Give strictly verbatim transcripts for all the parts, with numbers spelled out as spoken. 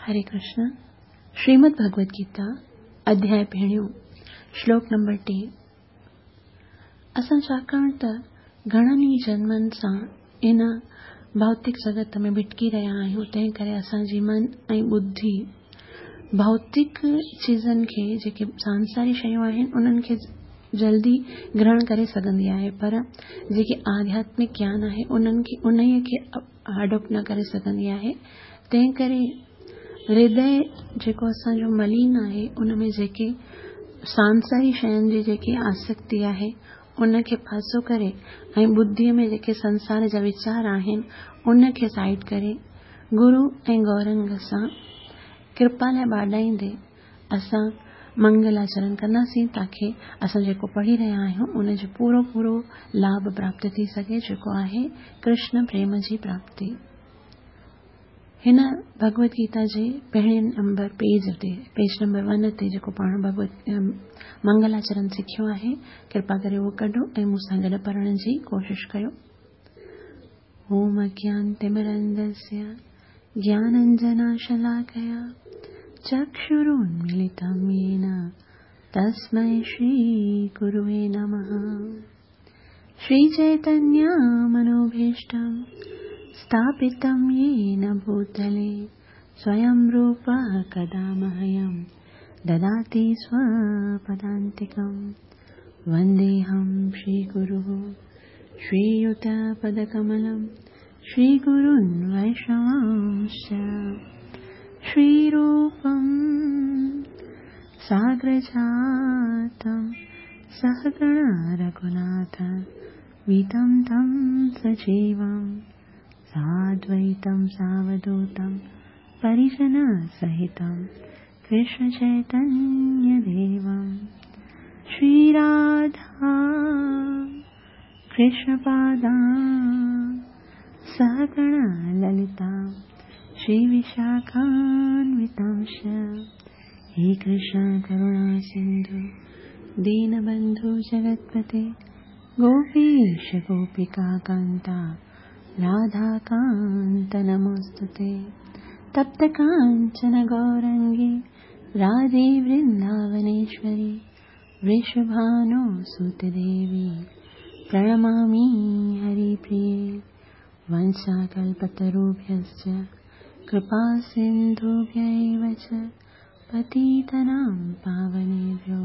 हरे कृष्ण। श्रीमद् भगवद गीता अध्याय पहिरियों श्लोक नंबर टे। असां छाकाणि त घणनि ई जन्मनि सां इन भौतिक जगत में भिटकी रहिया आहियूं, तंहिं करे असांजी मन ऐं बुद्धि भौतिक चीज़नि खे, जेके सांसारी शयूं आहिनि, उन्हनि खे जल्दी ग्रहण करे सघंदी आहे, पर जेके आध्यात्मिक ज्ञान आहे उन्हनि खे उन्हीअ खे अडॉप्ट न करे सघंदी आहे। तंहिं करे हृदय जेको असांजो मलिन आहे, उन में जेके सांसारी शयुनि जी जेकी आसक्ति आहे उनखे पासो करे ऐं बुद्धीअ में जेके संसार जा वीचार आहिनि उनखे साइड करे गुरू ऐं गौरंग सां कृपा लाइ बाॾाईंदे असां मंगलाचरण कंदासीं, ताकी असां जेको पढ़ी रहिया आहियूं उनजो पूरो पूरो लाभ प्राप्त थी सघे, जेको आहे कृष्ण प्रेम जी प्राप्ति। हिन भगवद गीता जे पहिरें नंबर पेज ते, पेज नंबर वन ते जेको पाण भगवत मंगलाचरण सिखियो आहे, कृपा करे उहो कढो ऐं मूंसां गॾु पढ़ण जी कोशिश कयो। ओम अज्ञानतिमिरन्धस्य ज्ञानाञ्जनशलाकया चक्षुरुन्मीलितं येन तस्मै श्रीगुरुवे नमः। श्रीचैतन्यमनोभीष्टं स्थापितं येन भूतले स्वयं रूपः कदा मह्यं ददाति स्वपदान्तिकं। वन्देऽहं श्रीगुरुः श्रीयुतपदकमलं श्रीगुरुन् वैष्णवांश्च। श्रीरूपं साग्रजातं सहगण रघुनाथ वितं तं सजीवं साद्वैतं सावधूतं परिजनसहितं कृष्णचैतन्यदेवं। श्रीराधा कृष्णपादां सहगण ललिता श्रीविशाखान्वितांश्च। हे कृष्ण करुणा सिन्धु दीनबन्धु जगत्पते गोपीश गोपिकान्ता राधाकान्त नमोऽस्तुते। तप्त काञ्चन गौरङ्गी राधे वृन्दावनेश्वरी वृषभानुसुते देवी प्रणमामि हरिप्रिये। वंशाकल्पतरुभ्यश्च कृपा सिन्धुभ्य एव च पतितानां पावनेभ्यो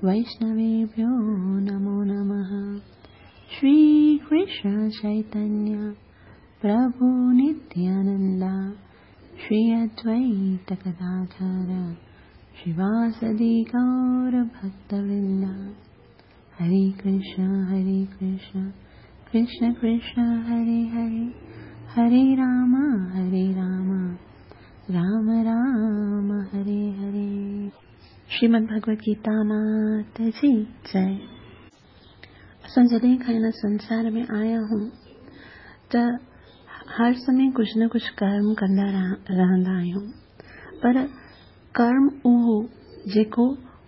वैष्णवेभ्यो नमो नमः। श्री कृष्ण चैतन्य प्रभु नित्यानंदा श्री अद्वैत गदाधर श्रीवासदि गौर भक्तवृंदा। हरे कृष्ण हरे कृष्ण कृष्ण कृष्ण हरे हरे, हरे राम हरे राम राम राम हरे हरे। श्रीमद् भगवद गीता मात जी जय। असां जॾहिं खां हिन संसार में आया आहियूं त हर समय कुझु न कुझु कर्म कंदा रहंदा आहियूं, पर कर्म उहो जेको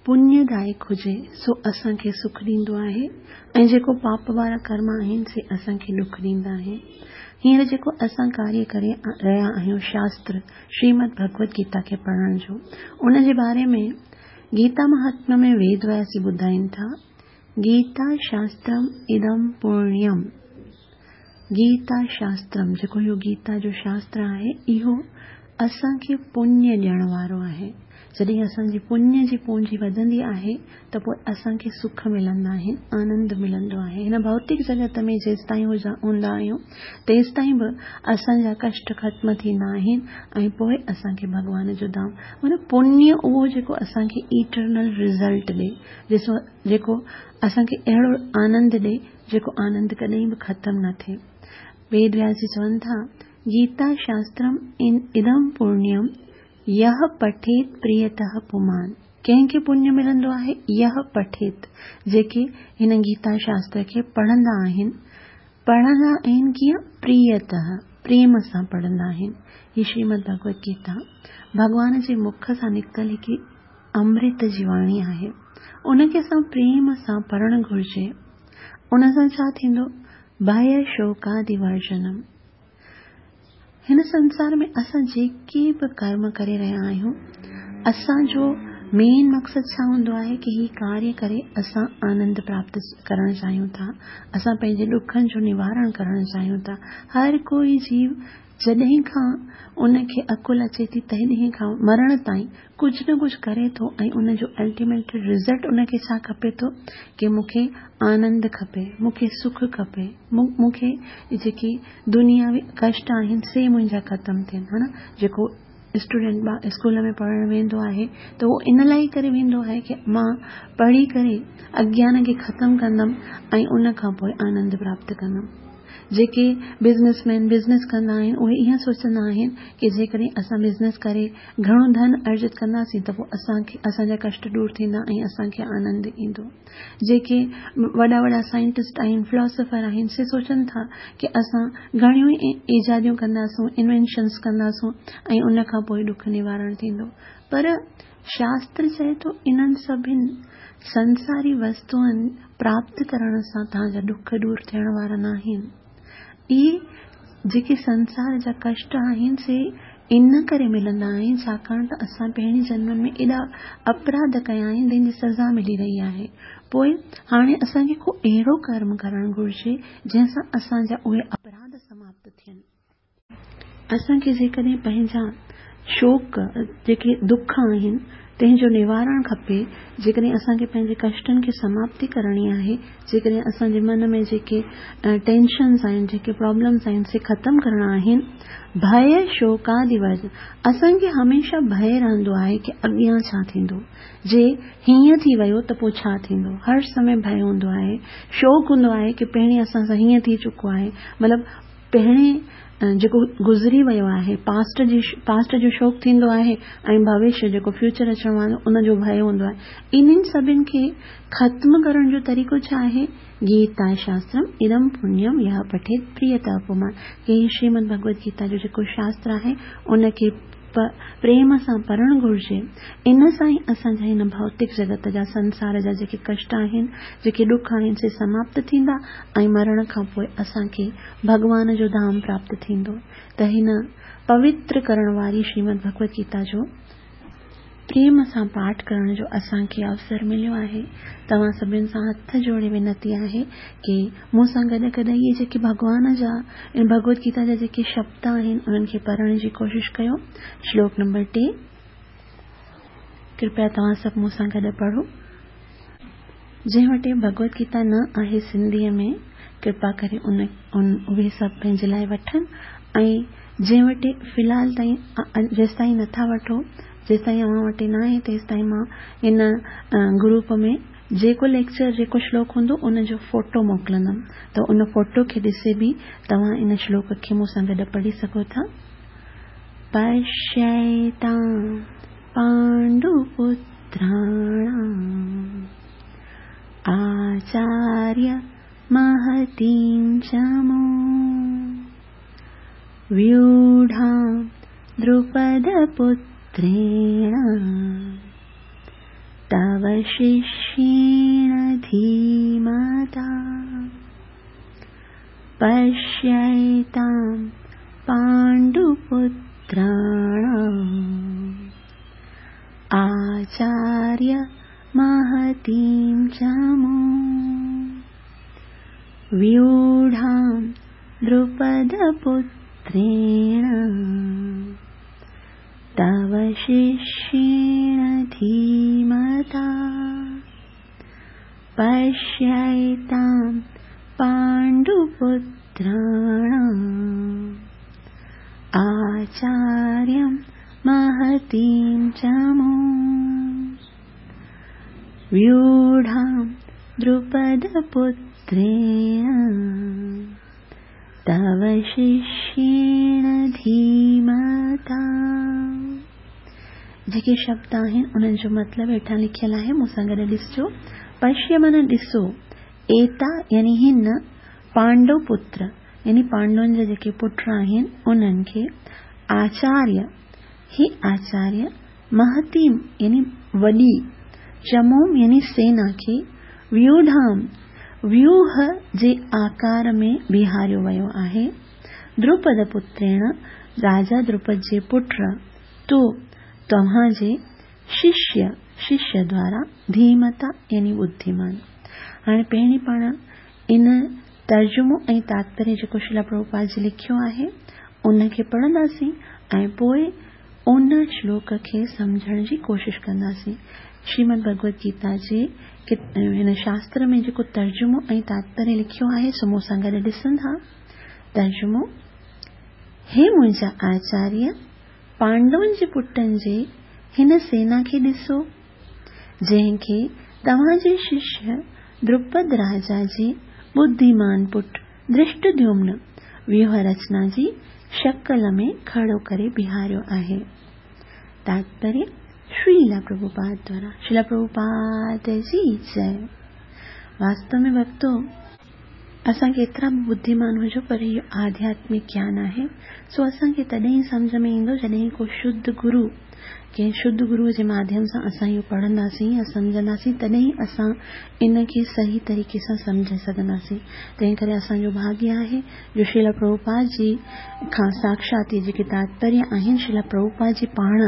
पुण्यदायक हुजे सो असांखे सुख ॾींदो आहे ऐं जेको पाप वारा कर्म आहिनि से असांखे ॾुख ॾींदा आहिनि। हींअर जेको असां कार्य करे रहिया आहियूं शास्त्र श्रीमद् भगवद गीता खे पढ़ण जो, उन जे बारे में गीता महात्म्य में वेद व्यास ॿुधाइनि था, गीता शास्त्रम इदम पुण्यम। गीता शास्त्रम जेको इहो गीता जो शास्त्र आहे इहो असांखे पुण्य ॾियण वारो आहे। जॾहिं असांजी पुण्य जी पूंजी वधंदी आहे त पोइ असांखे सुख मिलंदा आहिनि, आनंद मिलंदो आहे। हिन भौतिक जगत में जेसि ताईं हूंदा आहियूं तेसि ताईं बि असांजा कष्ट ख़त्म थींदा आहिनि ऐं पोइ असांखे भॻवान जो धाम, माना पुण्य उहो जेको असांखे इटरनल रिज़ल्ट ॾे, ॾिसो जेको असांखे अहिड़ो आनंद ॾे जेको आनंद कॾहिं बि ख़त्म न थिए। वेद व्यास जी चवनि था, गीता शास्त्रम इदम पुण्यम यह पठेत प्रियतः पुमान। कंहिंखे पुण्य मिलंदो आहे? यह पठेत, जेके हिन गीता शास्त्र खे पढ़ंदा आहिनि। पढ़ंदा आहिनि कीअं? प्रियतः, प्रेम सां पढ़ंदा आहिनि। हीअ श्रीमद् भगवद गीता भॻवान जे मुख सां निकितल हिकु अमृत जी वाणी आहे। उनखे असां प्रेम सां पढ़णु घुर्जे। उन सां छा थींदो? भय शोकादिवर्जनम। هن سنسار ۾ اسان جيڪي به ڪرم ڪري رهيا آهيون، اسان جو مين مقصد ڇا هوندو آهي ڪه هي ڪاريه ڪري اسان آنند پراپت ڪرڻ چاهيون ٿا، اسان پنهنجي ڏکن جو نوارڻ ڪرڻ چاهيون ٿا. هر ڪوئي جيو جڏهن کان ان کي عقل اچي ٿي تڏهن کان مرڻ تائين ڪجهه نه ڪجهه ڪري ٿو ۽ ان جو الٽيميٽ رزلٽ ان کي ڇا کپي ٿو ڪه مون کي آنند کپي، مون کي سک کپي، مون کي جيڪي دنياوي ڪشٽ آهن سي منهنجا ختم ٿين. ها نه، جيڪو اسٽوڊنٽ اسڪول ۾ پڙهڻ ويندو آهي ته اهو ان لاءِ ئي ڪري ويندو آهي ڪه مان پڙهي ڪري اگيان کي ختم ڪندم ۽ ان کان پوءِ آنند پراپت ڪندم. جيڪي بزنس مين بزنس ڪندا آهن اهي ائين سوچندا آهن ڪه جيڪڏهن اسان بزنس ڪري گهڻو ڌن ارجت ڪنداسين ته پوءِ اسان کي اسان جا ڪشٽ دور ٿيندا ۽ اسان کي آنند ايندو. جيڪي وڏا وڏا سائنٽسٽ آهن، فلاسفر آهن، سي سوچن ٿا ڪه اسان گهڻيون ئي ايجاديون ڪنداسون، انوينشنس ڪنداسون ۽ ان کان پوءِ ڏک نوارڻ ٿيندو. پر شاستر چئي ٿو انهن سڀني سنساري وستوئن پراپت ڪرڻ سان توهان جا ڏک دور ٿيڻ وارا نه آهن. اهي جيڪي سنسار جا ڪشٽ آهن سي ان ڪري ملندا آهن ڇاڪاڻ ته اسان پهرين جنمن ۾ ايڏا اپراڌ ڪيا آهن جنهن جي سزا ملي رهي آهي. پوءِ هاڻي اسان کي ڪو اهڙو ڪرم ڪرڻ گهرجي جنهن سان اسان جا اهي اپراڌ سماپت ٿين. اسان کي جيڪڏهن پنهنجا شوڪ جيڪي دک آهن تنهن جو نوارڻ کپي، جيڪڏهن اسان کي پنهنجي ڪشٽن کي سماپتي ڪرڻي آهي، جيڪڏهن اسان جي من ۾ جيڪي ٽينشنس آهن، جيڪي پرابلمس آهن سي ختم ڪرڻا آهن، ڀي شوڪادي ورج، اسان کي هميشه ڀي رهندو آهي ڪه اڳيان ڇا ٿيندو، جي هيئن ٿي ويو ته پوءِ ڇا ٿيندو. هر سمي ڀي هوندو آهي، شوڪ هوندو آهي ڪه پهرين اسان سان هيئن ٿي چڪو آهي، مطلب پهرين جيڪو گذري ويو آهي پاسٽ جي پاسٽ جو شوق ٿيندو آهي ۽ ڀوشيه جيڪو فيوچر اچڻ وارو ان جو ڀي هوندو آهي. انهن سڀني کي ختم ڪرڻ جو طريقو ڇا آهي؟ گيتا شاسترم ادم پڻيم يا پٺيت پريتا پمان. ڪه شريمد ڀڳوت گيتا جو جيڪو شاستر آهي ان کي پريم سان پڙهڻ گهرجي. ان سان ئي اسان جا هن ڀوتڪ جڳت جا سنسار جا جيڪي ڪشٽ آهن، جيڪي ڏک آهن سي سماپت ٿيندا ۽ مرڻ کان پوءِ اسان کي ڀڳوان جو ڌام پراپت ٿيندو. ته هن پوتر ڪرڻ واري شريمد ڀڳوت گيتا جو پريم سان پاٺ ڪرڻ جو اسان کي اوسر مليو آهي. توهان سڀني سان هٿ جوڙي وينتي آهي ڪه مون سان گڏ گڏ اهي جيڪي ڀڳوان جا ڀڳوت گيتا جا جيڪي شبد آهن انهن کي پڙهڻ جي ڪوشش ڪيو. شلوڪ نمبر ٽي، ڪرپيا توهان سڀ مون سان گڏ پڙهو. جنهن وٽ ڀڳوت گيتا نه آهي سنڌيءَ ۾ ڪرپا ڪري ان اهي سڀ پنهنجي لاءِ وٺن ۽ جنهن وٽ في الحال تائين جيستائين نٿا وٺو، جيستائين اوهان وٽ نه آهي تيستائين مان هن گروپ ۾ جيڪو ليڪچر جيڪو شلوڪ هوندو ان جو فوٽو موڪلندم ته ان فوٽو کي ڏسي به توهان ان شلوڪ کي مون سان گڏ پڙهي سگهو ٿا. پشيتان پانڊوپتراڻام آچاريه مهتيم چمو व्यूढां द्रुपदपुत्रेण तव शिष्येण धीमता पश्यैतां पाण्डुपुत्राणाम् आचार्य महतीं चमूं व्यूढां द्रुपदपुत्रेण तव शिष्येण धीमता पश्यैतां पाण्डुपुत्राणाम् आचार्यं महतीं चमूं व्यूढां द्रुपदपुत्रेण तव शिष्येण धीमता। जेके शब्द आहिनि उन्हनि जो मतिलबु हेठां लिखियलु आहे, मूंसां गॾु ॾिसजो। पश्य माना ॾिसो, एता यानी हिन, पांडव पुत्र यानी पांडवनि जा जेके पुट आहिनि उन्हनि खे, आचार्य ही आचार्य, महतीम यानी वॾी, चमूम यानी सेना खे, व्यूढाम व्यूह जे आकार में बीहारियो वियो आहे, द्रुपद पुत्रेण राजा द्रुपद जे पुट, तो तव्हां जे शिष्य शिष्य द्वारा धीमता यानी बुद्धिमान। हाणे पहिरीं पाण इन तर्जुमो ऐं तात्पर्य जेको श्रील प्रभुपाद जी लिखियो आहे उनखे पढ़ंदासीं ऐं पोइ उन श्लोक खे सम्झण जी कोशिश कंदासीं। श्रीमद् भगवद गीता जे हिन शास्त्र में जेको तर्जुमो ऐं तात्पर्य लिखियो आहे सो मूंसां गॾु ॾिसंदा। तर्जुमो: हे मुंहिंजा आचार्य, पांडवनि जे पुटनि जे हिन सेना खे ॾिसो जंहिंखे तव्हांजे शिष्य द्रुपद राजा जे बुद्धिमान पुट धृष्टद्युम्न व्यूह रचना जी शक्ल में खड़ो करे बीहारियो आहे। तात्पर्य श्रील प्रभुपाद द्वारा। श्रील प्रभुपाद जी जय। वास्तव में भक्तो, असां केतिरा बि बुद्धिमान हुजूं पर इहो आध्यात्मिक ज्ञान आहे, सो असांखे तॾहिं सम्झ में ईंदो जॾहिं को शुद्ध गुरु, कंहिं शुद्ध गुरूअ जे माध्यम सां असां इहो पढ़ंदासीं या सम्झंदासीं, तॾहिं असां इन खे सही तरीक़े सां सम्झी सघंदासीं। तंहिं करे असांजो भाग्य आहे जो श्रील प्रभुपाद जी खां साक्षात इहे जेके तात्पर्य आहिनि, श्रील प्रभुपाद जी पाण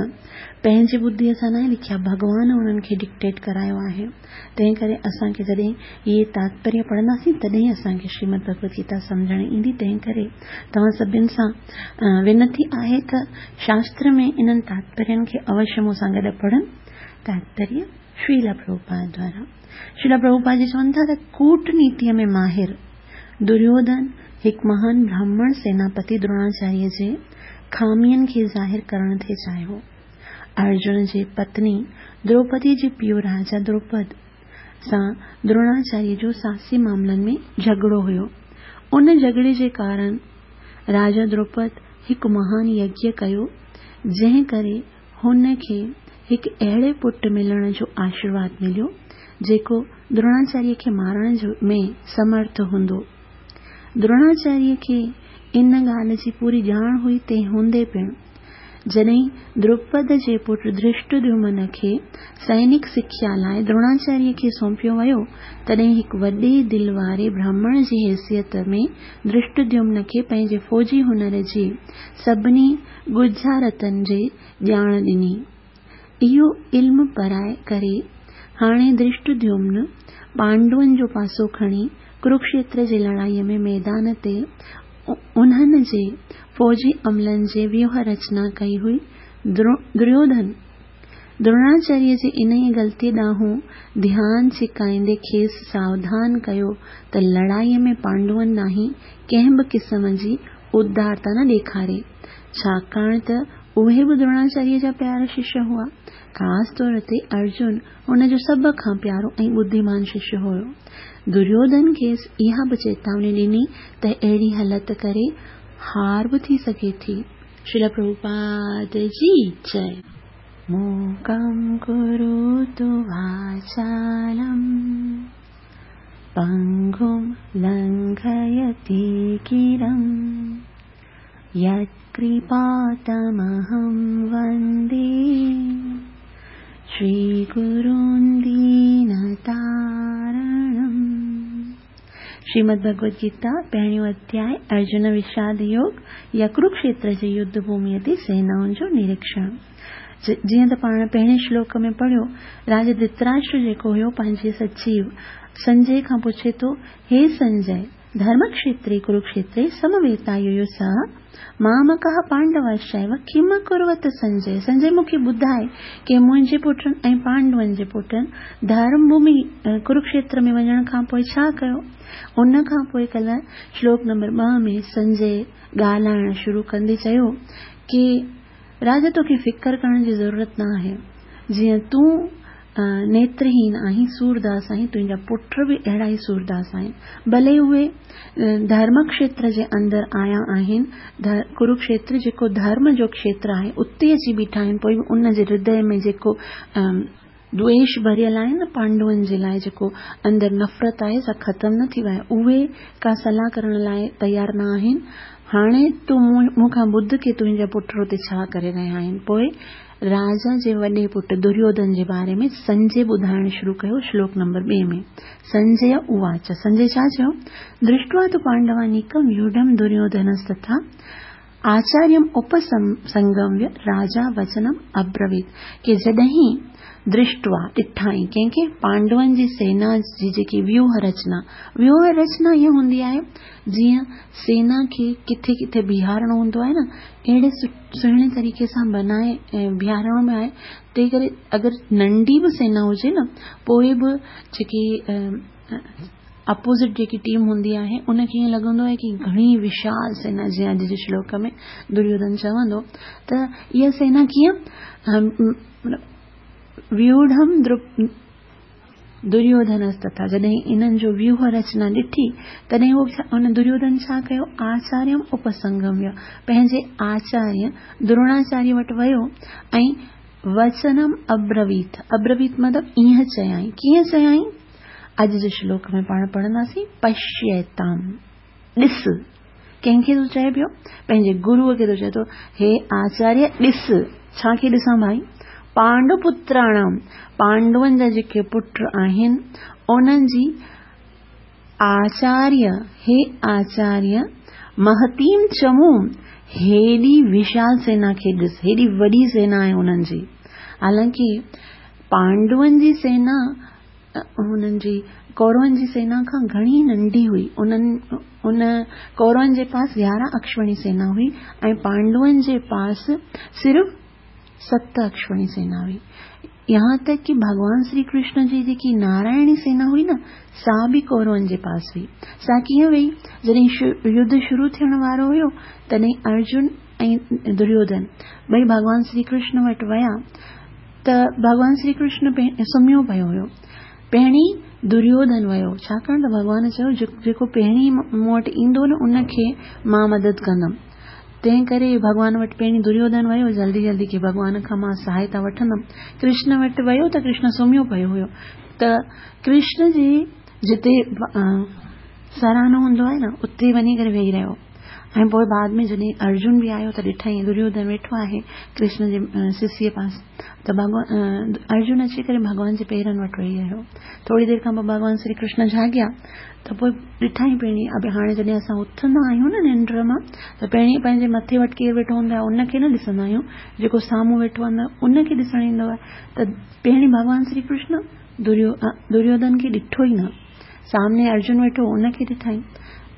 पंहिंजी बुद्धीअ सां न लिखिया, भॻवान उन्हनि खे डिक्टेट करायो आहे। तंहिं करे असांखे जॾहिं इहे तात्पर्य पढ़ंदासीं तॾहिं असांखे श्रीमद् भगवद गीता सम्झण ईंदी। तंहिं करे तव्हां सभिनि सां विनती आहे त शास्त्र में इन्हनि तात्पर्यनि खे अवश्य मूंसां गॾु पढ़नि। तात्पर्य श्रील प्रभुपाद द्वारा। श्रील प्रभुपाद जी चवनि था त कूटनीतीअ में माहिर दुर्योधन हिकु महान ब्राह्मण सेनापति द्रोणाचार्य जे ख़ामियुनि खे ज़ाहिर करण थे चाहियो। अर्जुन जे पत्नी द्रौपदी जे पीउ राजा द्रुपद सां द्रोणाचार्य जो सासी मामलनि में झगड़ो हुयो। उन झगड़े जे कारण राजा द्रुपद हिकु महान यज्ञ कयो जंहिं करे हुन खे हिकु अहिड़े पुट मिलण जो आशीर्वाद मिलियो जेको द्रोणाचार्य खे मारण में समर्थ हूंदो। द्रोणाचार्य खे इन ॻाल्हि जी पूरी ॼाण हुई, तंहिं हूंदे पिणु जॾहिं द्रुपद जे पुट धृष्टद्युम्न खे सैनिक सिख्या लाइ द्रोणाचार्य खे सौंपियो वियो, तॾहिं हिकु वॾे दिलि वारे ब्राह्मण जी हैसियत में धृष्टद्युम्न खे पंहिंजे फ़ौजी हुनर जी सभिनी ॻुझारतनि जी ॼाण ॾिनी। इहो इल्मु पराए करे हाणे धृष्टद्युम्न पांडवनि जो पासो खणी कुरुक्षेत्र जे लड़ाईअ में मैदान ते उन्हनि जे फ़ौजी अमलनि जे व्यूह रचना कई हुई। दुर्योधन द्रोणाचार्य जे इन्हीअ ग़लती ॾांहुं ध्यानु छिकाईंदे खेसि सावधान कयो त लड़ाईअ में पांडवनि ॾांहुं कंहिं बि क़िस्म जी उदारता न ॾेखारे, छाकाणि त उहे बि द्रोणाचार्य जा प्यारा शिष्य हुआ। ख़ासि तौर ते अर्जुन हुन जो सभ खां प्यारो ऐं बुद्धिमान शिष्य हुयो। दुर्योधन खेसि इहा बि चेतावनी ॾिनी त अहिड़ी हलत करे हार बि थी सघे थी। श्रील प्रभुपाद जी जय। मूकं करोतु वाचालं पंगुं लंघयति गिरिं यत्कृपातमहं वन्दे श्रीगुरुं दीनतारणम्। श्रीमद् भगवद गीता पहिरियों अध्याय अर्जुन विषाद योग या कुरुक्षेत्र जे युद्ध भूमिअ ते सेनाउनि जो निरीक्षण। जीअं त पाण पहिरें श्लोक में पढ़ियो, राजा धृतराष्ट्र जेको हुयो पंहिंजे सचिव संजय खां पुछे थो, हे संजय, धर्मक्षेत्रे कुरुक्षेत्रे समवेतायुयुत्सः मामकः पांडवश्चैव किम कुर्वत संजय। संजय मूंखे ॿुधाए की मुंहिंजे पुटनि ऐं पांडवनि जे पुटनि धर्मभूमि कुरुक्षेत्र में वञण खां पोइ छा कयो। उन खां पोइ कल्ह श्लोक नंबर ॿ में संजय ॻाल्हाइणु शुरू कंदे चयो की राजा तोखे फ़िक्र करण जी ज़रूरत न आहे, जीअं तूं नेत्रहीन आहीं, सूरदास आहीं, तुंहिंजा पुट बि अहिड़ा ई सूरदास आहिनि। भले उहे धर्म क्षेत्र जे अंदरि आया आहिनि, कुरुक्षेत्र जेको धर्म जो क्षेत्र आहे उते अची बीठा आहिनि, पोइ बि उन जे हृदय में जेको द्वेष भरियल आहे न पांडवनि जे लाइ, जेको अंदरि नफ़रत आहे सा ख़तमु न थी वई आहे, उहे का सलाह करण लाइ तयारु न आहिनि। हाणे तूं मूंखां ॿुध की तुंहिंजा पुट उते छा करे रहिया आहिनि। पोइ राजा जे वॾे पुट दुर्योधन जे बारे में संजय ॿुधाइणु शुरू कयो श्लोक नंबर ॿिए में। संजय उवाच, संजय छा चयो, दृष्ट्वा तु पांडवानीकं व्यूढं दुर्योधनस्तथा आचार्यम् उपसंगम्य राजा वचनम् अब्रवीत की जॾहिं दृष्ट्वा ॾिठाई कंहिंखे पांडवनि जी सेना जी जेकी व्यूह रचना व्यूह रचना इहा हूंदी आहे जीअं सेना खे किथे किथे बीहारणो हूंदो आहे न अहिड़े सुहिणे तरीक़े सां बनाए बीहारणो बि आहे। तंहिं करे अगरि नंढी बि सेना हुजे न पोइ बि जेकी अपोज़िट जेकी टीम हूंदी आहे उनखे ईअं लॻंदो आहे की घणी विशाल सेना, जीअं अॼु जे श्लोक में दुर्योधन चवंदो त इहा सेना कीअं व्यूढम दुर्योधनस्तथा, जॾहिं इन्हनि जो व्यूह रचना ॾिठी तॾहिं उहो हुन दुर्योधन छा कयो, आचार्यम उपसंगम्य, पंहिंजे आचार्य द्रोणाचार्य वटि वियो ऐं वचनम अब्रवीत। अब्रवीत मतिलबु ईअं चयाई, कीअं चयाई, अॼु जे श्लोक में पाण पढ़ंदासीं। पश्यताम, ॾिस, कंहिंखे थो चए पियो, पंहिंजे गुरूअ खे थो चए थो, हे आचार्य ॾिस। छा खे ॾिसां भाई? पांडुपुत्राणाम, पांडवनि जा जेके पुट आहिनि उन्हनि जी आचार्य, हे आचार्य महतीम चमूं, हेॾी विशाल सेना खे ॾिस, हेॾी वॾी सेना आहे उन्हनि जी। हालांकि पांडवनि जी सेना हुननि जी कौरवनि जी सेना खां घणी नंढी हुई। उन्हनि उन कौरवनि जे पास यारहं अक्षवणी सेना हुई ऐं पांडवनि जे पास सिर्फ़ सत अक्षवणी सेना हुई। यहाँ तक कि भगवान श्री कृष्ण जी जेकी नारायणी सेना हुई न, सा बि कौरवनि जे पास हुई। सा कीअं वई? जॾहिं युद्ध शुरू थियण वारो हुयो तॾहिं अर्जुन ऐं दुर्योधन ॿई भगवान श्री कृष्ण वटि विया त भगवान श्री कृष्ण सुम्हियो पियो हुयो। पहिरीं दुर्योधन वियो, छाकाणि त भॻवान चयो जेको पहिरीं मूं वटि ईंदो न उनखे मां मदद कंदमि। तंहिं करे भॻवान वटि पहिरीं दुर्योधन वियो, जल्दी जल्दी की भॻवान खां मां सहायता वठंदमि। कृष्ण वटि वियो त कृष्ण सुम्हियो पियो हुयो त कृष्ण जे जिते सराहणो हूंदो आहे न उते वञी करे वेही रहियो। ऐं पोइ बाद में जॾहिं अर्जुन बि आयो त ॾिठई दुर्योधन वेठो आहे कृष्ण जे सिसीअ पास, त भॻवान अर्जुन अची करे भॻवान जे पेरनि वटि वेही रहियो। थोरी देरि खां पोइ भॻवान श्री कृष्ण जाॻिया त पोइ ॾिठई पहिरीं, अबे हाणे जॾहिं असां उथंदा आहियूं न निंड मां त पहिरीं पंहिंजे मथे वटि केरु वेठो हूंदो आहे उनखे न ॾिसंदा आहियूं, जेको साम्हूं वेठो हूंदो आहे उनखे ॾिसणु ईंदो आहे। त पहिरीं भॻवान श्री कृष्ण दुर्यो दुर्योधन खे ॾिठो ई न, सामने अर्जुन वेठो उनखे ॾिठई।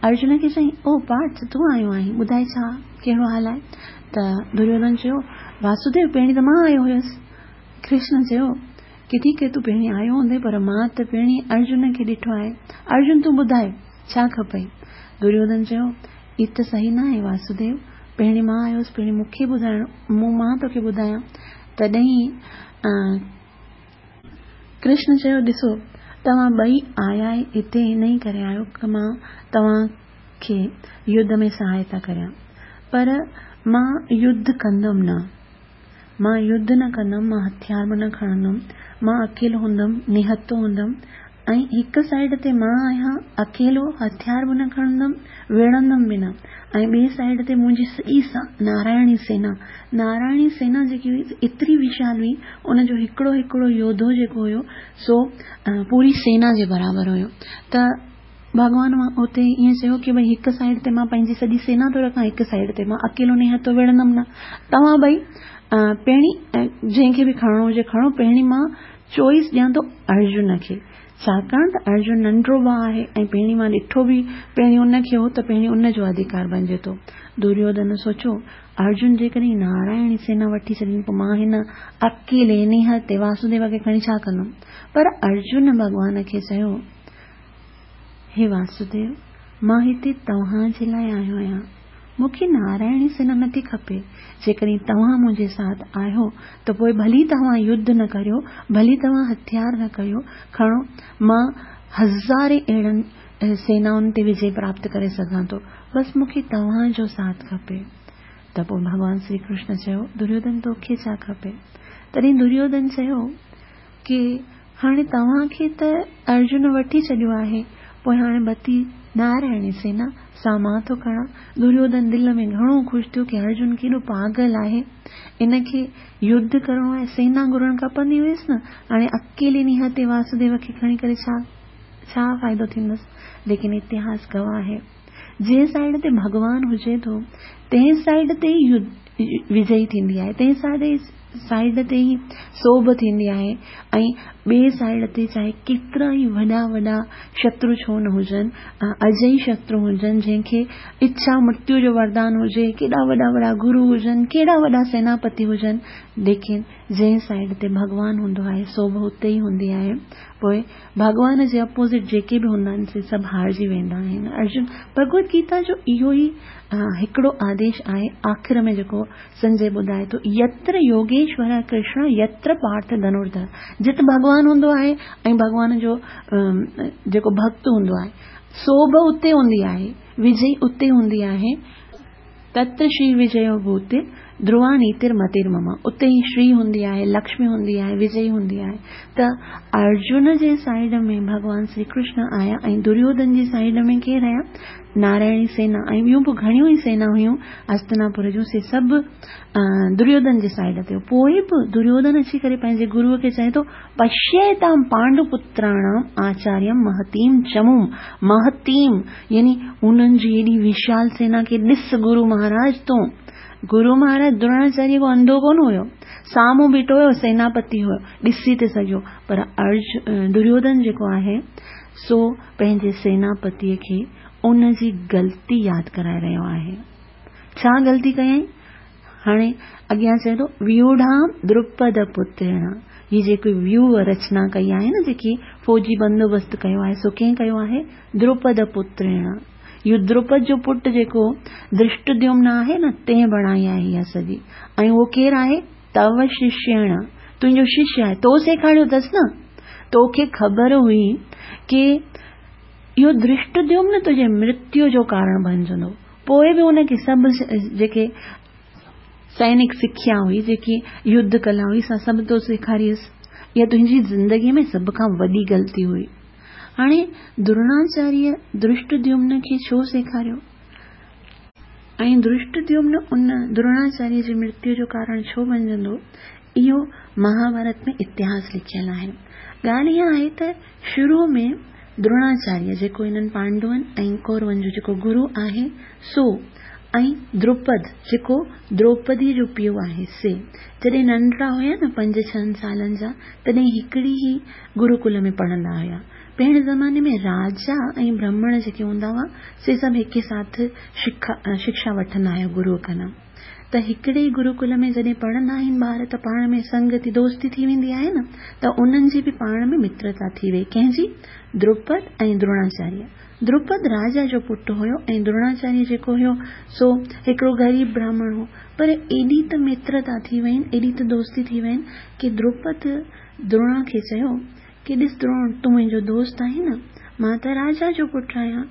अर्जुन खे चयईं, ओ पार्थ तूं आयो आहीं, ॿुधाए छा कहिड़ो हाल आहे? त दुर्योधन चयो, वासुदेव पहिरीं त मां आयो हुयुसि। कृष्ण चयो की ठीकु आहे तूं पहिरीं आयो हूंदे, पर मां त पहिरीं अर्जुन खे ॾिठो आहे। अर्जुन तूं ॿुधाए छा खपई? दुर्योधन चयो, हीअ त सही न आहे वासुदेव, पहिरीं मां आयो हुयुसि, पहिरीं मूंखे ॿुधाइणो, मूं मां तोखे ॿुधायां। तॾहिं कृष्ण चयो, ॾिसो तव्हां ॿई आया हिते इन ई करे आयो की मां तव्हांखे युद्ध में सहायता करियां, पर मां युद्ध कंदमि न, मां युद्ध न कंदमि, मां हथियार बि न खणंदमि, मां अकेलो हूंदमि, निहतो हूंदमि ऐं हिकु साइड ते मां आहियां अकेलो, हथियार बि न खणंदमि, विढ़ंदमि बि न, ऐं ॿिए साइड ते मुंहिंजी सॼी नारायणी सेना, नारायणी सेना जेकी हुई एतिरी विशाल हुई, उनजो हिकिड़ो हिकिड़ो योधो जेको हुयो सो पूरी सेना जे बराबरि हुयो। त भॻवान उते ईअं चयो की भई हिकु साइड ते मां पंहिंजी सॼी सेना थो रखां, हिकु साइड ते मां अकेलो निहतो विढ़ंदमि न, तव्हां ॿई पहिरीं जंहिंखे बि खणणो हुजे खणो, पहिरीं मां चॉइस ॾियां थो अर्जुन खे, छाकाणि त अर्जुन नंढो भाउ आहे ऐं पहिरीं मां ॾिठो बि पहिरीं उनखे हो त पहिरीं उनजो अधिकार बणिजे थो। दुर्योधन सोचियो, अर्जुन जेकॾहिं नारायणी सेना वठी छॾींदो पोइ मां हिन अकेले निहते वासुदेव खे खणी छा कंदमि? पर अर्जुन भॻवान खे चयो, हे वासुदेव, मां हिते तव्हां जे लाइ आयो आहियां, मूंखे नारायणी सेना नथी खपे। जेकॾहिं तव्हां मुंहिंजे साथ आहियो त पोइ भली तव्हां युद्ध न करियो, भली तव्हां हथियार न करियो खणो, मां हज़ारे अहिड़नि सेनाउनि ते विजय प्राप्त करे सघां थो, बसि मूंखे तव्हांजो साथ खपे। त पोइ भॻवान श्री कृष्ण चयो, दुर्योधन तोखे छा खपे? तॾहिं दुर्योधन चयो की हाणे तव्हांखे त अर्जुन वठी छॾियो आहे, पोइ हाणे बती नारायणी सेना सां मां थो खणां। दुर्योधन दिलि में घणो ख़ुशि थियो की अर्जुन केॾो पागल आहे, इनखे युद्ध करिणो आहे, सेना घुरणु खपंदी हुयसि न, हाणे अकेले निहते वासुदेव खे खणी करे छा छा फ़ाइदो थींदसि। लेकिन इतिहास गवाह आहे, جنهن سائيڊ تي ڀڳوان هجي ٿو تنهن سائيڊ تي ئي وجئي ٿيندي آهي، تنهن سائيڊ تي ئي سوڀ ٿيندي آهي ۽ ٻئي سائيڊ تي چاهي ڪيترا ئي وڏا وڏا شترو ڇو نه هجن، اجئي شترو هجن، جنهن کي اڇا مرتيو جو وردان هجي، ڪيڏا وڏا وڏا گرو هجن، ڪيڏا وڏا سيناپتي هجن، ليڪن جنهن سائيڊ تي ڀڳوان هوندو آهي سوڀ اتي ئي هوندي آهي. پوءِ ڀڳوان جي اپوزٽ جيڪي به هوندا آهن سي سڀ هارجي ويندا آهن. ارجن ڀڳوت گيتا جو اهو ئي هڪڙو آديش آهي. آخر ۾ جيڪو سنجي ٻڌائي ٿو، يتر يوگيشور ڪرشن يتر پارٿ ڌنرڌر، جت ڀڳوان هوندو آهي ۽ ڀڳوان جو جيڪو ڀڪت هوندو آهي سوڀ اتي هوندي آهي، وجئي اتي هوندي آهي. تتر شري وجيو ڀوتي ڌروا نيتر متير مم، اتي ئي شري هوندي آهي، لڪشمي هوندي آهي، وجئي هوندي آهي. ته ارجن جي سائيڊ ۾ ڀڳوان شري ڪرشن آيا ۽ دريوڌن جي سائيڊ ۾ ڪير آيا؟ نارائڻي سينا ۽ ٻيون به گهڻيون ئي سينا هيون هستناپور جون، سي سڀ دريوڌن جي سائيڊ تي. پوءِ به دريوڌن اچي ڪري پنهنجي گروءَ کي چئي ٿو، پشيتام پانڊوپتراڻام آچاريم مهتيم چموم. مهتيم يعني انهن جي ايڏي وشال سينا کي ڏس گرو مهاراج تون. گرو مهاراج دروناچاريه ڪو انڌو ڪونه هيو، سامهون بيٺو هيو، سيناپتي هيو، ڏسي ٿي سگهيو. پر ارج دريوڌن جيڪو آهي سو پنهنجي سيناپتيءَ کي ان جي غلطي ياد ڪرائي رهيو آهي. ڇا غلطي ڪيائين؟ هاڻي اڳيان چئي ٿو، ويوڍام دروپد پترڻ، هي جيڪي ويوهه رچنا ڪئي آهي نه، جيڪي فوجي بندوبست ڪيو آهي، سو ڪنهن ڪيو آهي؟ دروپد پترڻ. اهو دروپد جو پٽ جيڪو درشٽديمن آهي نه، تنهن بڻائي آهي اها سڄي. ۽ اهو ڪير آهي؟ تو ششيڻ، تنهنجو ششيه آهي، تو سيکاريو اٿس نه، توکي خبر هئي ڪي اهو درشٽديمن تنهنجي مرتيو جو ڪارڻ بڻجندو، پوءِ به ان کي سڀ جيڪي سينڪ سکيا هئي، جيڪي يڌ ڪلا هئي، سا سڀ تو سيکاريس. اها تنهنجي زندگيءَ ۾ سڀ کان وڏي غلطي هئي. هاڻي دروناچاريه درشٽديمن کي ڇو سيکاريو ۽ درشٽديمن ان دروناچاريه جي مرتيو جو ڪارڻ ڇو بڻجندو، اهو مهاڀارت ۾ اتهاس لکيل آهي. ڳالهه اها آهي ته شروع ۾ دروناچاريه جيڪو هنن پانڊون ۽ ڪورون جو جيڪو گرو آهي سو، ۽ دروپد جيڪو دروپديءَ جو پيءُ آهي سي، جڏهن ننڍڙا هئا نه پنج ڇهن سالن جا، تڏهن هڪڙي ئي گروڪل ۾ پڙهندا هئا. پهرين زماني ۾ راجا ۽ برهمڻ جيڪي هوندا هئا سي سڀ هڪ ساٿ شڪشا وٺندا هئا گروءَ کان. ته هڪڙي ئي گروڪل ۾ جڏهن پڙهندا آهن ٻار ته پاڻ ۾ سنگتي دوستي ٿي ويندي آهي نه، ته انهن جي به پاڻ ۾ مترتا ٿي وئي. ڪنهن جي؟ دروپد ۽ دروناچاريه. دروپد راجا جو پٽ هيو ۽ دروناچاريه جيڪو هيو سو هڪڙو غريب براهمڻ هو. پر ايڏي ته مترتا ٿي وئي، ايڏي ته دوستي ٿي وئي ڪه دروپد دروڻا کي چيو ڪه ڏس دروڻ، تون منهنجو دوست آهين نه، مان ته راجا جو پٽ آهيان،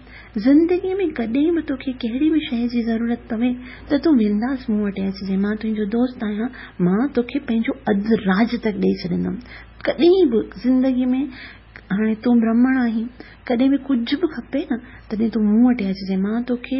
زندگيءَ ۾ ڪڏهن به توکي ڪهڙي به شيءِ جي ضرورت پوي ته تون بنداس مون وٽ اچجي، مان تنهنجو دوست آهيان، مان توکي پنهنجو اڌ راج تڪ ڏيئي ڇڏيندم. ڪڏهن به زندگيءَ ۾ هاڻي تون برهمڻ آهين، ڪڏهن به ڪجهه به کپي نه تڏهن تون مون وٽ اچجي، مان توکي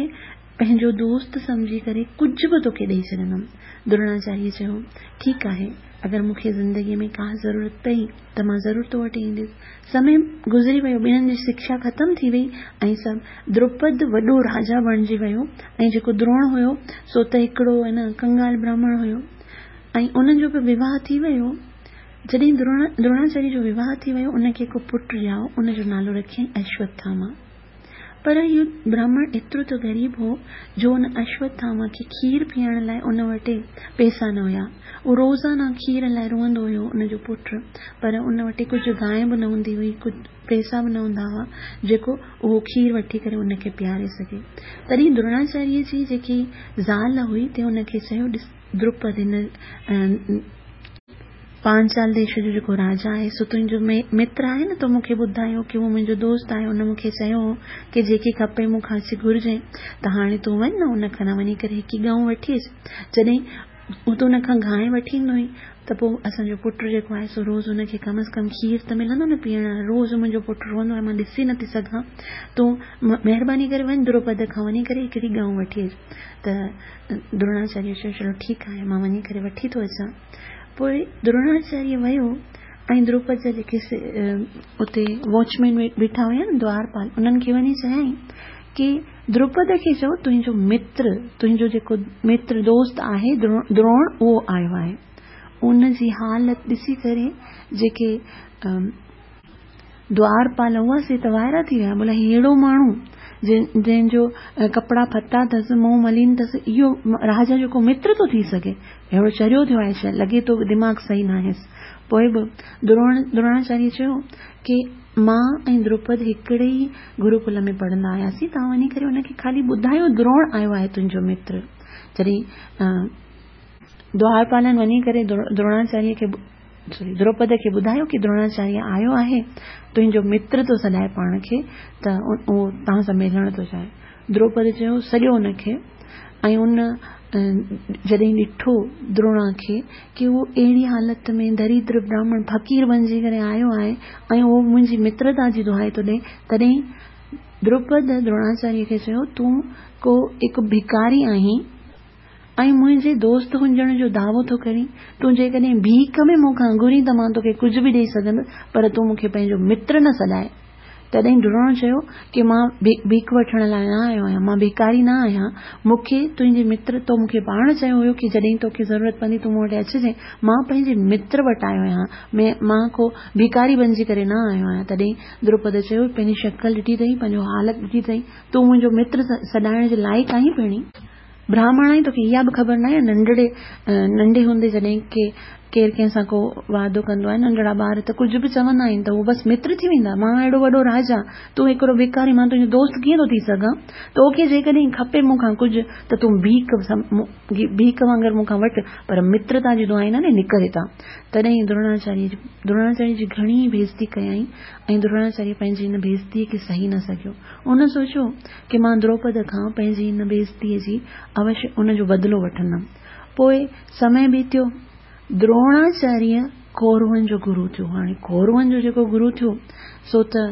پنهنجو دوست سمجهي ڪري ڪجهه به توکي ڏيئي ڇڏيندم. دروناچاريه چيو، ٺيڪ آهي، اگر مون کي زندگيءَ ۾ ڪا ضرورت پئي ته مان ضرور تو وٽ ايندس. سمي گذري ويو، ٻنهن جي شڪشا ختم ٿي وئي ۽ سڀ. دروپد وڏو راجا بڻجي ويو ۽ جيڪو دروڻ هيو سو ته هڪڙو نه ڪنگال براهمڻ هيو ۽ انهن جو به وواهه ٿي ويو. جڏهن دروناچاريه جو وواهه ٿي ويو، ان کي هڪ پٽ ڄائو، ان جو نالو رکيائين اشوٿاما. پر اهو براهمڻ ايترو ته غريب هو جو ان اشوٿاما کي کير پيئڻ لاءِ ان وٽ پئسا نه هئا. اهو روزانه کير لاءِ روئندو هيو ان جو پٽ، پر ان وٽ ڪجهه گانءِ به نه هوندي هئي، ڪجهه پئسا به نه هوندا هئا جيڪو اهو کير وٺي ڪري ان کي پياري سگهي. تڏهن دروناچاريه جي جيڪي زال هئي تنهن ان کي چيو، ڏس دروپد، هن پانچال ديش جو جيڪو راجا آهي سو تنهنجو متر آهي نه، تو مون کي ٻڌايو ڪه اهو منهنجو دوست آهي، ان مون کي چيو هو ڪه جيڪي کپي مون کان اچي گهرجي، ته هاڻي تون وڃ نه ان کان وڃي ڪري هڪ ڳئون وٺي اچ. جڏهن تون ان کان گانءِ وٺي ايندو آهين ته پوءِ اسان جو پٽ جيڪو آهي سو روز ان کي ڪم از ڪم کير ته ملندو نه پيئڻ لاءِ، روز منهنجو پٽ روئندو آهي، مان ڏسي نٿي سگهان، تون مهرباني ڪري وڃ دروپد کان وڃي ڪري هڪڙي ڳئون وٺي اچ. ته دروناچاريه چيو، چلو ٺيڪ آهي، مان وڃي ڪري وٺي ٿو اچان. پوءِ دروناچاريه ويو ۽ دروپد جا جيڪي اتي واچمين ويٺا هئا نه دوارپال، انهن کي وڃي چيائين ڪي دروپد کي چئو تنهنجو متر، تنهنجو جيڪو متر دوست آهي دروڻ اهو آيو آهي. ان جي حالت ڏسي ڪري جيڪي دوارپال هئا سي ته وائرا ٿي ويا، بولا هي اهڙو ماڻهو جنهن جو ڪپڙا ڦتا اٿس، منهن ملين اٿس، اهو راجا جو ڪو متر ٿو ٿي سگهي؟ اهڙو چريو ٿيو آهي ڇا؟ لڳي ٿو دماغ صحيح ناهيس. پوءِ به دروڻ دروناچاريه چيو ڪي مان ۽ دروپد هڪڙي ئي گروڪل ۾ پڙهندا هئاسين، توهان وڃي ڪري ان کي خالي ٻڌايو دروڻ آيو آهي تنهنجو متر. جڏهن دوارپالن وڃي ڪري دروناچاريه کي سوري دروپد کي ٻڌايو ڪي دروناچاريه آيو آهي، تنهنجو متر ٿو سڏائي پاڻ کي، ته اهو توهان سان ملڻ ٿو چاهي. دروپد چيو سڏيو ان کي. ۽ ان جڏهن ڏٺو دروڻا کي ڪي اهو اهڙي حالت ۾ دريدر براهمڻ فقير بڻجي ڪري آيو آهي ۽ اهو منهنجي مترتا جي دهائي ٿو ڏئي، تڏهن دروپد دروناچاريه کي چيو تون ڪو هڪ ڀکاري آهين ۽ منهنجي دوست هجڻ جو دعوو ٿو ڪرين، تون جيڪڏهن ڀيک ۾ مون کان گهرين ته مان توکي ڪجهه به ڏيئي سگهندس، پر تون مون کي پنهنجو متر نه سڏائي. تڏهن دروڻ چيو ڪي مان ڀيک وٺڻ لاءِ نه آيو آهيان، مان ڀکاري نه آهيان، مون کي تنهنجي متر تو مون کي پاڻ چيو هيو ڪي جڏهن توکي ضرورت پوندي تون مون وٽ اچجانءِ، مان پنهنجي متر وٽ آيو آهيان، مان ڪو ڀکاري بڻجي ڪري نه آيو آهيان. تڏهن دروپد چيو پنهنجي شڪل ڏٺي اٿئي، پنهنجو حالت ڏٺي اٿئي، تون منهنجو متر سڏائڻ جي لائق آهين؟ پهرين براهمڻ آهين، توکي اها به خبر نه آهي؟ ننڍڙي ننڍي هوندي جڏهن ڪي ڪير ڪنهن سان ڪو واعدو ڪندو آهي، ننڍڙا ٻار ته ڪجهه به چوندا آهن ته اهو بس متر ٿي ويندا. مان اهڙو وڏو راجا، تون هڪڙو ڀکاري، مان تنهنجو دوست ڪيئن ٿو ٿي سگهان؟ توکي جيڪڏهن کپي مون کان ڪجهه ته تون ڀيک ڀيک وانگر مون کان وٺ، پر مترتا جي دعائي نه نڪر هتان. تڏهن دروناچاريه جي دروناچاريه جي گهڻي بيزتي ڪيائين ۽ دروناچاريه پنهنجي هن بيزتيءَ کي سهي نه سگهيو. ان سوچيو ڪي مان دروپد کان پنهنجي هن بيزتيءَ جي اوشيه ان جو بدلو وٺندم. پوءِ سمي بيتيو، دروناچاريه ڪورون جو گرو ٿيو. هاڻي ڪورون جو جيڪو گرو ٿيو سو ته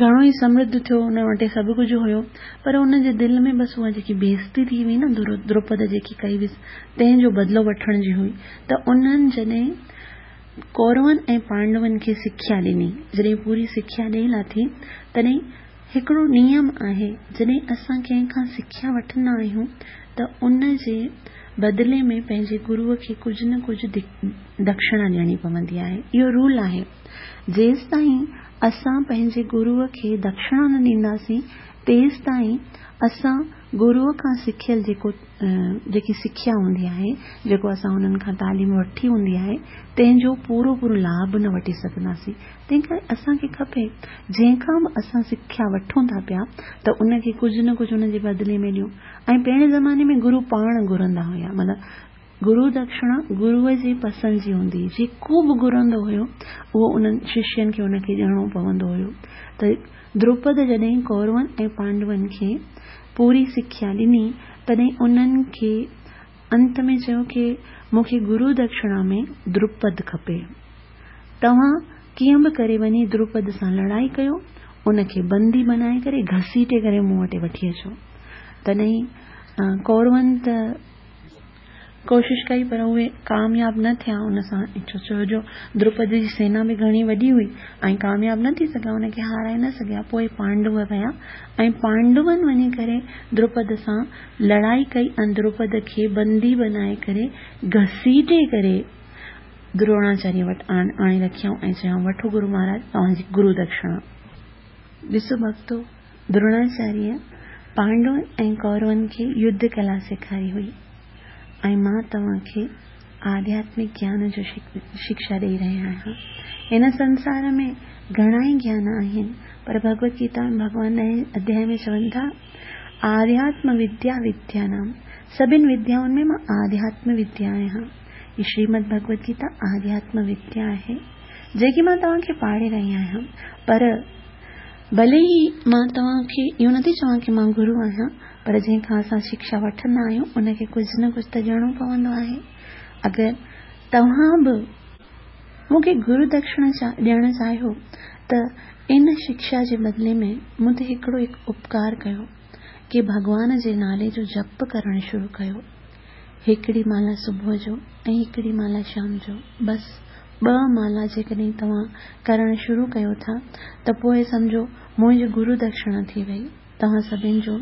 گهڻو ئي سمرڌ ٿيو، ان وٽ سڀ ڪجهه هيو، پر ان جي دل ۾ بس اها جيڪي بيزتي ٿي هئي نه دروپد جيڪي ڪئي هئس تنهن جو بدلو وٺڻ جي هئي. ته انهن جڏهن ڪورون ۽ پانڊون کي سکيا ڏني، جڏهن پوري سکيا ڏيئي لاٿي، تڏهن هڪڙو نيم آهي، جڏهن اسان ڪنهن کان سکيا وٺندا آهيون ته ان جي بدلي ۾ پنهنجي گروءَ کي ڪجهه نه ڪجهه دڪشڻا ڏيڻي پوندي آهي. اهو رول آهي. جيستائين اسان پنهنجي گروءَ کي دڪشڻا نه ڏينداسين تيستائين اسان گروءَ کان سکيل جيڪو جيڪي سکيا هوندي آهي، جيڪو اسان انهن کان تعليم وٺي هوندي آهي، تنهن جو پورو پورو لاڀ نه وٺي سگهنداسين. تنهن ڪري اسان کي کپي جنهن کان به اسان سکيا وٺون ٿا پيا ته ان کي ڪجهه نه ڪجهه ان جي بدلي ۾ ڏيون. ۽ پهرين زماني ۾ گرو پاڻ گهرندا هئا، مطلب گرو دڪشڻا گروءَ جي پسند جي هوندي هئي، جيڪو به گهرندو هيو اهو انهن ششين کي ان کي ڏيڻو پوندو هيو. ته دروپد جڏهن ڪورون ۽ پانڊون کي پوري سکيا ڏني، تڏهن انهن کي انت ۾ چيو ڪي مون کي گرو دڪشڻا ۾ دروپد کپي، توهان ڪيئن به ڪري وڃي دروپد سان لڙائي ڪيو، ان کي بندي بنائي ڪري گهسيٽي ڪري مون وٽ وٺي اچو. تڏهن ڪورون ته ڪوشش ڪئي پر اهي ڪامياب نه ٿيا ان سان، ڇو جو دروپد جي سينا به گهڻي وڏي هئي ۽ ڪامياب نه ٿي سگهيا، ان کي هارائي نه سگهيا. پوءِ پانڊو ويا ۽ پانڊون وڃي ڪري دروپد سان لڙائي ڪئي ۽ دروپد کي بندي بنائي ڪري گهسيٽي ڪري دروناچاريه وٽ آڻي رکيائون ۽ چيائون وٺو گرو مهاراج توهان جي گرو دڪشڻا. ڏسو ڀڪتو، دروناچاريه پانڊون ۽ ڪورون کي يڌ ڪلا سيکاري هئي ۽ مان توهان کي آڌياتمڪ گيان جو شڪشا ڏيئي رهي آهيان. هن سنسار ۾ گهڻا ئي گيان آهن، پر ڀڳوت گيتا ۾ ڀڳوان ڏهين اڌياءِ ۾ چون ٿا آڌياتم وديا وديا نام، سڀني وديائن ۾ مان آڌياتم وديا آهيان. هي شريمد ڀڳوت گيتا آڌياتم وديا آهي جيڪي مان توهان کي پاڙهي رهي آهيان. پر ڀلي ئي مان توهان کي اهو نٿي چوان ڪه مان گرو آهيان، پر جنهن کان اسان شڪشا وٺندا آهيون ان کي ڪجهه نه ڪجهه ته ڏيڻو پوندو آهي. اگر توهان به مون کي گرو دڪشڻا ڏيڻ چاهيو ته ان شڪشا جي بدلي ۾ مون تي هڪڙو هڪ اپڪار ڪيو ڪه ڀڳوان جي نالي جو جپ ڪرڻ شروع ڪيو. هڪڙي مالا صبح جو ۽ هڪڙي مالا شام جو، بس ٻه مالا جيڪڏهن توهان ڪرڻ شروع ڪيو ٿا ته پوءِ سمجهو منهنجي گرو دڪشڻا ٿي وئي. توهان سڀني جو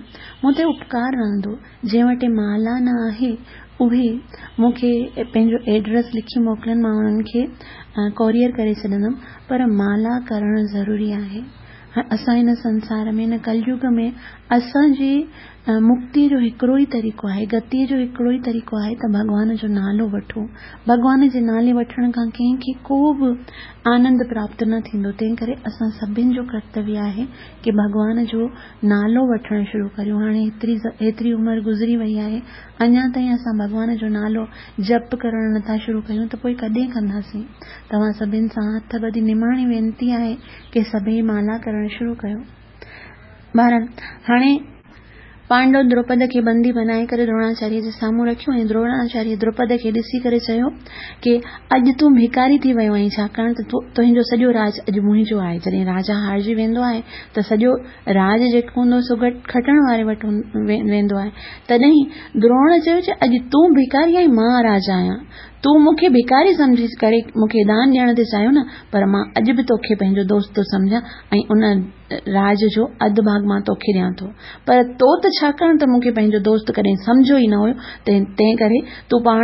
مون تي اپڪار رهندو. جنهن وٽ مالا نه آهي اهي مون کي پنهنجو ايڊريس لکي موڪلن، مان انهن کي ڪوريئر ڪري ڇڏندم. پر مالا ڪرڻ ضروري آهي. اسان هن سنسار ۾ هن ڪليگ ۾ اسان جي مڪتيء جو هڪڙو ئي طريقو آهي، گتيء جو هڪڙو ئي طريقو آهي ته ڀڳوان جو نالو وٺو. ڀڳوان جي نالي وٺڻ کان ڪنهن کي ڪو به آنند پراپت نه ٿيندو. تنهن ڪري اسان سڀني جو ڪرتويه آهي ڪه ڀڳوان جو نالو وٺڻ شروع ڪريون. هاڻي هيتري هيتري عمر گذري وئي آهي، اڃا تائين اسان ڀڳوان جو نالو جپ ڪرڻ نٿا شروع ڪيون ته پوءِ ڪڏهن ڪنداسين؟ توهان سڀني سان هٿ ٻڌي نماڻي وينتي آهي ڪه سڀئي مالا ڪرڻ شروع ڪيو. بهرحال هاڻي پانڊو دروپد کي بندي بنائي ڪري دروناچاريه جي سامهون رکيو ۽ دروناچاريه دروپد کي ڏسي ڪري چيو ڪه اڄ تون ڀکاري ٿي ويو آهين، ڇاڪاڻ ته تنهنجو سڄو راڄ اڄ منهنجو آهي. جڏهن راجا هارجي ويندو آهي ته سڄو راڄ جيڪو هوندو سو کٽڻ واري وٽ ويندو آهي. تڏهن دروڻ چيو چې اڄ تون ڀکاري آهين، مان راجا آهيان. تون مون کي ڀکاري سمجهي ڪري مون کي دان ڏيڻ ٿي چاهيو نه، پر مان اڄ به توکي پنهنجو دوست ٿو سمجهان ۽ ان راڄ جو اڌ ڀاڳ مان توکي ڏيان ٿو. پر تو ته ڇاڪاڻ ته مون کي پنهنجو دوست ڪڏهن سمجهيو ئي نه هيو، تنهن ڪري تون پاڻ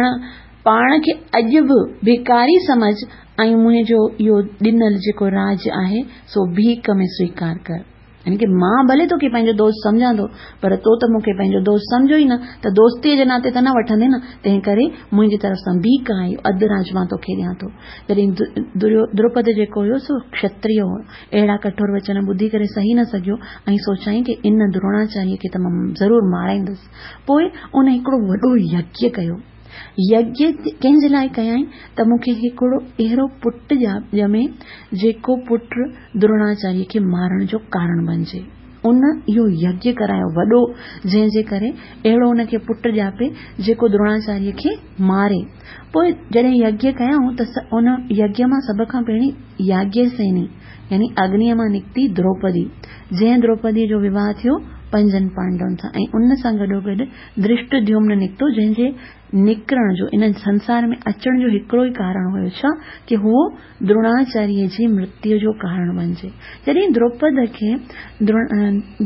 پاڻ کي اڄ به ڀکاري سمجهه ۽ منهنجو اهو ڏنل جيڪو راڄ آهي سو ڀيڪ ۾ سويڪار ڪر. يعني ڪه مان ڀلي توکي پنهنجو دوست سمجهان ٿو، پر تو ته مون کي پنهنجو دوست سمجهيو ئي نه، ته دوستيء جي ناتي ته نه وٺندين نه، تنهن ڪري منهنجي طرف سان ڀيڪ آهي، اڌ راڄ مان توکي ڏيان ٿو. جڏهن دروپد جيڪو هيو سو کشتريه هو، اهڙا ڪٺور وچن ٻڌي ڪري سهي نه سگهيو ۽ سوچيائين ڪه ان دروناچاريه کي ته مان ضرور مارائيندس. پوءِ ان هڪڙو وڏو يگيه ڪيو. يگيه ڪنهن جي لاءِ ڪيائين ته مون کي هڪڙو اهڙو پٽ ڄمي جيڪو پٽ دروناچاريه کي مارڻ جو ڪارڻ بڻجي. ان اهو يگيه ڪرايو وڏو، جنهن جي ڪري اهڙو ان کي پٽ ڄاپي جيڪو دروناچاريه کي ماري. پوءِ جڏهن يگيه ڪيائون ته ان يگيه مان سڀ کان پهرين ياگيه سيني يعني اگنيءَ مان نڪتي دروپدي، جنهن دروپديءَ جو وواهه ٿيو پنجن پانڊون سان ۽ ان سان گڏوگڏ درشٽديمن نڪتو، جنهن جي نڪرڻ جو ان سنسار ۾ اچڻ جو هڪڙو ئي ڪارڻ هيو، ڇا ڪه هو دروناچاريه جي مرتيءَ جو ڪارڻ بڻجي. جڏهن دروپد کي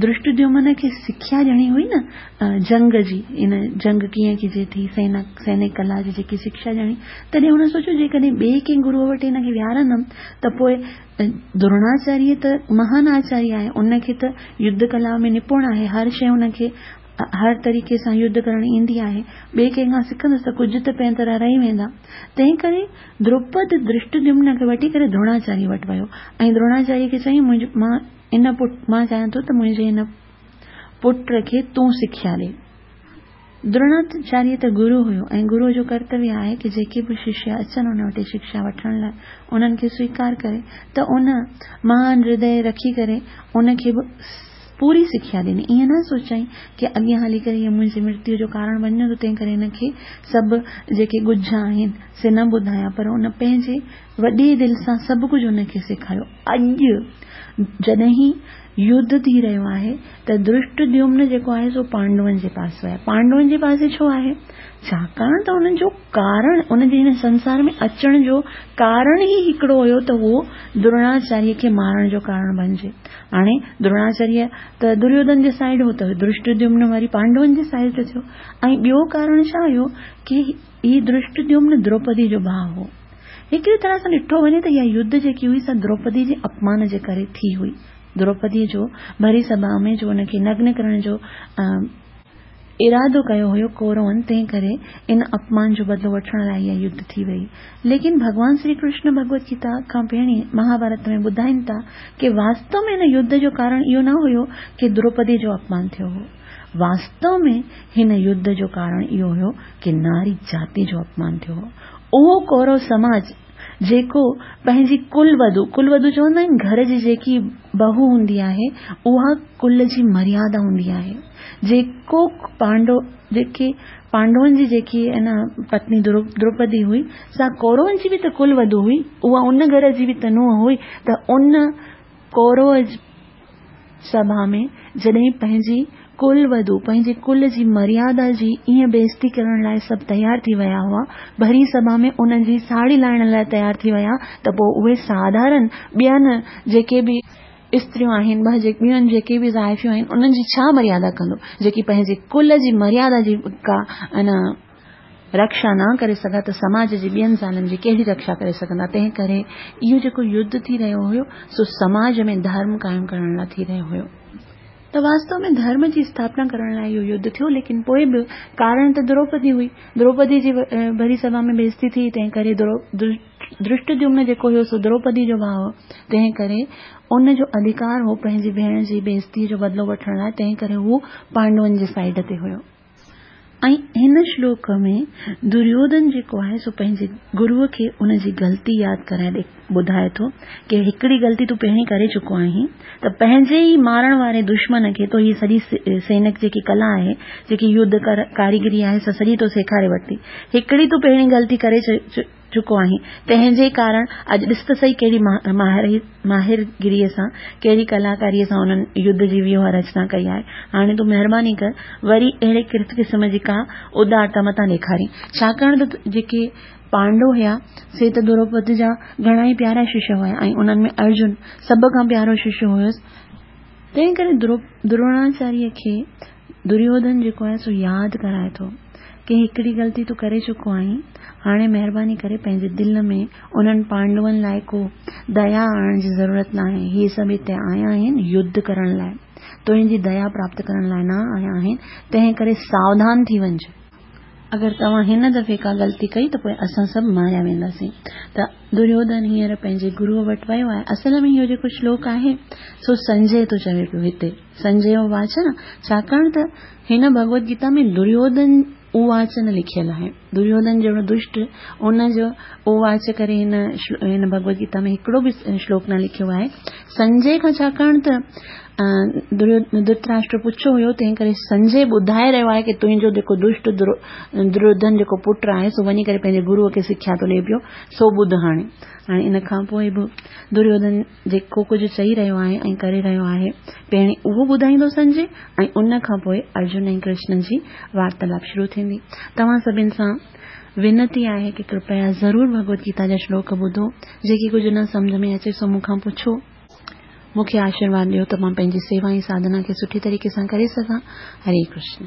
درشٽديمن کي سکيا ڏيڻي هئي نه جنگ جي، ان جنگ ڪيئن ڪجي ٿي، سينا سينڪ ڪلا جي جيڪي شڪشا ڏيڻي، تڏهن هن سوچيو جيڪڏهن ٻئي ڪنهن گروءَ وٽ هن کي ويهارندم ته پوءِ دروناچاريه ته مهان آچاريه آهي، ان کي ته يڌ ڪلا ۾ نپڻ آهي، هر شيءِ هن کي هر طريقي سان يڌ ڪرڻ ايندي آهي، ٻئي ڪنهن کان سکندس ته ڪجهه ته پنهنجي طرح رهي ويندا. تنهن ڪري دروپد درشٽديمن کي وٺي ڪري دروناچاريه وٽ ويو ۽ دروناچاريه کي چيائين منهنجو مان ان پٽ مان چاهيان ٿو ته منهنجي هن پٽ کي تون سکيا ڏي. دروناچاريه ته گرو هيو ۽ گروءَ جو ڪرتويه آهي ڪه جيڪي به ششيه اچن ان وٽ شڪشا وٺڻ لاءِ انهن کي سويڪار ڪري، ته ان مهان هردي رکي ڪري ان کي به پوري سکيا ڏني. ائين نه سوچيائين ڪه اڳيان هلي ڪري اهو منهنجي مرتيءَ جو ڪارڻ بڻجندو، تنهن ڪري هن کي سڀ جيڪي ڳجها آهن سي نه ٻڌايان، پر ان پنهنجي وڏي دل سان سڀ ڪجهه هن کي سيکاريو. اڄ جڏهن يڌ ٿي رهيو آهي ته درشٽديمن جيڪو آهي سو پانڊون جي پاسي آهي. پانڊون جي پاسي ڇو آهي؟ ڇاڪاڻ ته انهن جو ڪارڻ، ان جي هن سنسار ۾ اچڻ جو ڪارڻ ئي هڪڙو هيو ته اهو دروناچاريه کي مارڻ جو ڪارڻ بڻجي. هاڻي دروناچاريه ته دريوڌن جي سائيڊ هو ته درشٽديمن وري پانڊون جي سائيڊ تي ٿيو. ۽ ٻيو ڪارڻ ڇا هيو ڪه هي درشٽديمن دروپدي جو ڀاءُ هو. هڪڙي طرح سان ڏٺو وڃي ته اها يڌ جيڪي هئي سا دروپدي جي اپمان جي ڪري ٿي هئي. دروپديءَ جو ڀري سڀا ۾ جو ان کي نگن ڪرڻ جو ارادو ڪيو هيو ڪورون، تنهن ڪري ان اپمان جو بدلو وٺڻ لاءِ اها يڌ ٿي وئي. ليڪن ڀڳوان شري ڪرشن ڀڳوت گيتا کان پهرين مهاڀارت ۾ ٻڌائين ٿا ڪه واستو ۾ هن يڌ جو ڪارڻ اهو نه هيو ڪه دروپدي جو اپمان ٿيو هو، واستو ۾ هن يڌ جو ڪارڻ اهو هيو ڪه ناري جاتي جو اپمان ٿيو هو. اهو ڪورو سماج جيڪو پنهنجي ڪل وڌو، ڪل وڌو چوندا آهن گهر جي جيڪي بهو هوندي آهي اها ڪل جي مريادا هوندي آهي. جيڪو پانڊو جيڪي پانڊون جي جيڪي نه پتني دروپدي هئي سا ڪورون جي به ته ڪل وڌو هئي، اها ان گهر جي به ته ننهن هئي. ته ان ڪورو سڀا ۾ جڏهن پنهنجي ڪل وڌو پنهنجي ڪل جي مريادا جي ائين بيزتي ڪرڻ لاءِ سڀ تيار ٿي ويا هئا، ڀري سڀا ۾ انهن جي ساڙهي لاهڻ لاءِ تيار ٿي ويا، ته پوءِ اهي ساڌارڻ ٻين جيڪي به استريون آهن، ٻه جيڪي ٻيون جيڪي به زائفيون آهن، انهن جي ڇا مريادا ڪندو، جيڪي پنهنجي ڪل جي مريادا جي ڪا ان رڪشا نه ڪري سگهان ته سماج جي ٻين زالن جي ڪهڙي رڪشا ڪري سگهندا. تنهن ڪري اهو جيڪو يڌ ٿي رهيو هيو سو سماج ۾ ڌرم قائم ڪرڻ لاء ٿي رهيو هيو. ته واستو ۾ ڌرم جي اسٿاپنا ڪرڻ لاء اهو يڌ ٿيو، ليڪن پوء به ڪارڻ ته دروپدي هئي. دروپدي جي ڀري سڀا ۾ بيعزتي ٿي، تنهن ڪري ڌرشٽديمن جيڪو هيو سو دروپدي جو ڀاء هو، تنهن ڪري ان جو اڌڪار هو پنهنجي ڀيڻ جي بيعزتي جو بدلو وٺڻ لاء، تنهن ڪري هو پانڊون جي سائيڊ تي هيو. ۽ هن شلوڪ ۾ دريوڌن جيڪو آهي سو پنهنجي گروء کي ان جي غلطي ياد ڪرائي ٻڌائي ٿو ڪي هڪڙي غلطي تون پهرين ڪري چڪو آهين ته پنهنجي ئي مارڻ واري دشمن کي تو هي سڄي سينڪ جيڪي ڪلا آهي، جيڪي يڌ ڪاريگري آهي، سا سڄي تو سيکاري ورتي. هڪڙي تون پهرين غلطي ڪري چڪو آهين، تنهن جي ڪارڻ اڄ ڏس ته سهي ڪهڙي ماهرگيريء سان، ڪهڙي ڪلاڪاريء سان انهن يڌ جي ويوهه رچنا ڪئي آهي. هاڻي تون مهرباني ڪر، وري اهڙي قسم جي ڪا ادارتا متان ڏيکارين. ڇاڪاڻ ته جيڪي پانڊو هيا سي ته دروپد جا گهڻا ئي پيارا ششيه هيا ۽ انهن ۾ ارجن سڀ کان پيارو ششيه هيس. تنهن ڪري دروناچاريه کي دريوڌن جيڪو آهي سو ياد ڪرائي ٿو ڪي هڪڙي غلطي تون ڪري چڪو آهين، هاڻي مهرباني ڪري پنهنجي دل ۾ انهن پانڊون لاء ڪو ديا آڻڻ جي ضرورت ناهي. هي سڀ هتي آيا آهن يڌ ڪرڻ لاء، تنهنجي ديا پراپت ڪرڻ لاء نه آيا آهن، تنهن ڪري ساوڌان ٿي وڃج. اگر توهان هن دفعي ڪا غلطي ڪئي ته پوء اسان سڀ ماريا وينداسين. ته دريوڌن هينئر پنهنجي گروء وٽ ويو آهي. اصل ۾ اهو جيڪو شلوڪ آهي سو سنجي ٿو چوي پيو هتي سنجي واچ نه، ڇاڪاڻ ته هن ڀڳوت گيتا ۾ دريوڌن اواچ نه لکيل آهي. دريوڌن جهڙو دشٽ ان جو اواچ ڪري هن هن ڀڳوت گيتا ۾ هڪڙو به شلوڪ نه لکيو آهي. سنجي کان ڇاڪاڻ ته ڌرتراشٽر پڇيو هيو، تنهن ڪري سنجي ٻڌائي رهيو آهي ڪي تنهنجو جيڪو دشٽ دريوڌن جيڪو پٽ آهي سو وڃي ڪري پنهنجي گروء کي سکيا ٿو ڏئي پيو، سو ٻڌ. هاڻي هاڻي ان کان پوء به دريوڌن جيڪو ڪجهه چئي رهيو آهي ۽ ڪري رهيو آهي، پهرين اهو ٻڌائيندو سنجي ۽ ان کان پوء ارجن ۽ ڪرشن جي وارتالاپ شروع ٿيندي. توهان سڀني سان وينتي آهي ڪي ڪرپيا ضرور ڀڳوت گيتا جا شلوڪ ٻڌو. جيڪي ڪجهه نه سمجهه ۾ اچي سو مون کان پڇو. مون کي آشيرواد ڏيو ته مان پنهنجي سيوا ۽ ساڌنا کي سٺي طريقي سان ڪري سگهان. هري ڪرشن.